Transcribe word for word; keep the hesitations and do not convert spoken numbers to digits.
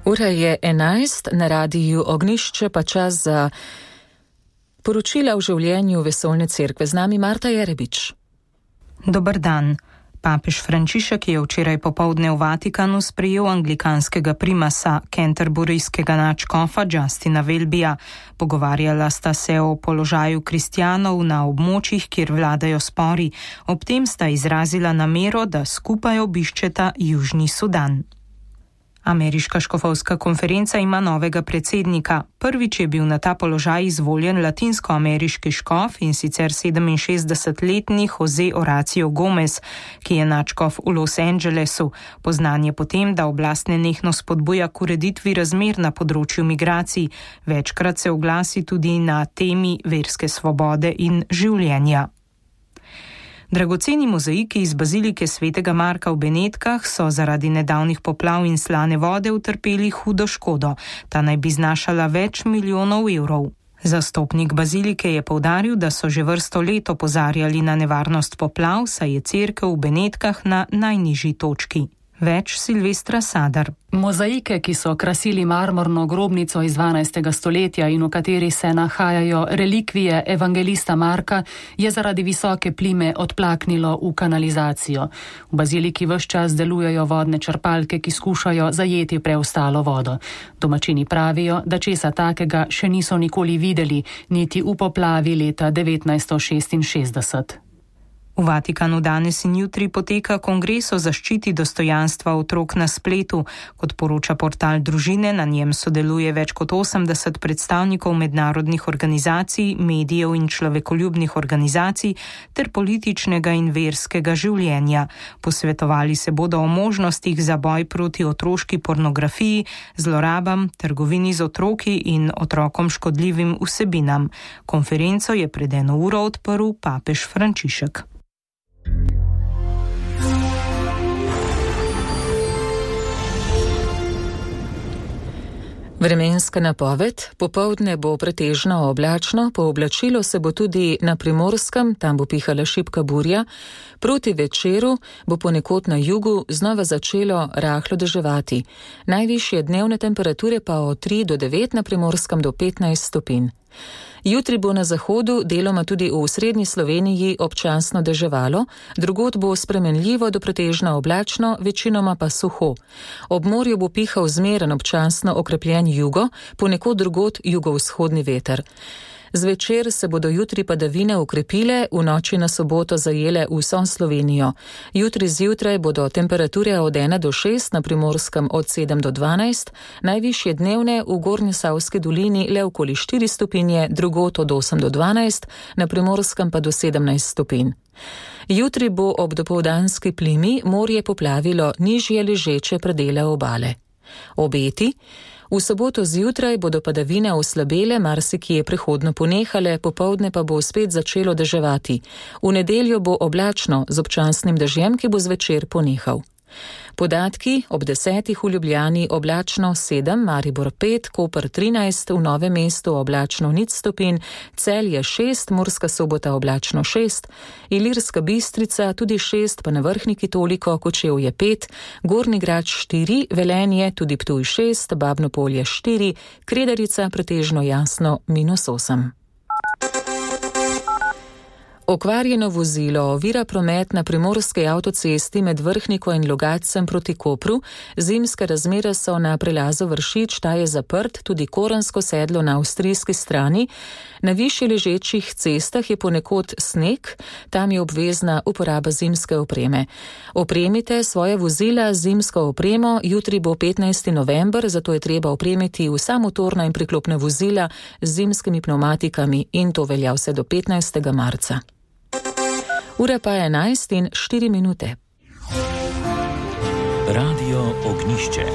Ura je enajst, na radiju Ognjišče pa čas za poročila o življenju Vesoljne cerkve. Z nami Marta Jerebič. Dober dan. Papež Frančišek je včeraj popoldne v Vatikanu sprejel anglikanskega primasa, canterburyskega nadškofa Justina Welbyja. Pogovarjala sta se o položaju kristjanov na območjih, kjer vladajo spori. Ob tem sta izrazila namero, da skupaj obiščeta Južni Sudan. Ameriška škofovska konferenca ima novega predsednika. Prvič je bil na ta položaj izvoljen latinskoameriški škof, in sicer sedeminšestdesetletni Jose Horacio Gomez, ki je nadškof v Los Angelesu. Poznan je potem, da oblast nenehno spodbuja k ureditvi razmer na področju migracij. Večkrat se oglasi tudi na temi verske svobode in življenja. Dragoceni mozaiki iz bazilike svetega Marka v Benetkah so zaradi nedavnih poplav in slane vode utrpeli hudo škodo. Ta naj bi znašala več milijonov evrov. Zastopnik bazilike je poudaril, da so že vrsto let opozarjali na nevarnost poplav, saj je cerkev v Benetkah na najnižji točki. Več Silvestra Sadar. Mozaike, ki so krasili marmorno grobnico iz dvanajstega stoletja in v kateri se nahajajo relikvije evangelista Marka, je zaradi visoke plime odplaknilo v kanalizacijo. V baziliki ves čas delujejo vodne črpalke, ki skušajo zajeti preostalo vodo. Domačini pravijo, da česa takega še niso nikoli videli, niti v poplavi leta devetnajststo šestinšestdeset. V Vatikanu danes in jutri poteka kongres o zaščiti dostojanstva otrok na spletu. Kot poroča portal Družine, na njem sodeluje več kot osemdeset predstavnikov mednarodnih organizacij, medijev in človekoljubnih organizacij ter političnega in verskega življenja. Posvetovali se bodo o možnostih za boj proti otroški pornografiji, zlorabam, trgovini z otroki in otrokom škodljivim vsebinam. Konferenco je pred eno uro odprl papež Frančišek. Vremenska napoved. Popoldne bo pretežno oblačno, pooblačilo se bo tudi na Primorskem, tam bo pihala šibka burja. Proti večeru bo ponekod na jugu znova začelo rahlo deževati. Najvišje dnevne temperature pa od tri do devet, na Primorskem do petnajst stopinj. Jutri bo na zahodu, deloma tudi v srednji Sloveniji, občasno deževalo, drugod bo spremenljivo do pretežno oblačno, večinoma pa suho. Ob morju bo pihal zmeren občasno okrepljen jugo, ponekod drugod jugovzhodni veter. Zvečer se bodo jutri padavine ukrepile, v noči na soboto zajele vso Slovenijo. Jutri zjutraj bodo temperature od ena do šest, na Primorskem od sedem do dvanajst, najvišje dnevne v Gornjesavski dolini le okoli štiri stopinje, drugod od osem do dvanajst, na Primorskem pa do sedemnajst stopinj. Jutri bo ob dopoldanski plimi morje poplavilo nižje ležeče predele obale. Obeti. V soboto zjutraj bodo padavine oslabele, marsikje prehodno ponehale, popoldne pa bo spet začelo deževati. V nedeljo bo oblačno z občasnim dežjem, ki bo zvečer ponehal. Podatki: ob desetih v Ljubljani oblačno sedem, Maribor pet, Koper trinajst, v Novem mestu oblačno nič stopinj, Celje šest, Murska Sobota oblačno šest, Ilirska Bistrica tudi šest, pa na Vrhniki toliko, Kočevje pet, Gornji Grad štiri, Velenje tudi Ptuj šest, Babno Polje štiri, Kredarica pretežno jasno minus osem. Okvarjeno vozilo ovira promet na primorski avtocesti med Vrhniko in Logatcem proti Kopru. Zimske razmere so na prelazu Vršič, ta je zaprt, tudi Koransko sedlo na avstrijski strani. Na višje ležečih cestah je ponekod sneg, tam je obvezna uporaba zimske opreme. Opremite svoje vozila z zimsko opremo, jutri bo petnajsti november, zato je treba opremiti vsa motorna in priklopna vozila z zimskimi pneumatikami, in to velja vse do petnajstega marca. Ura pa je enajst in štiri minute. Radio Ognjišče.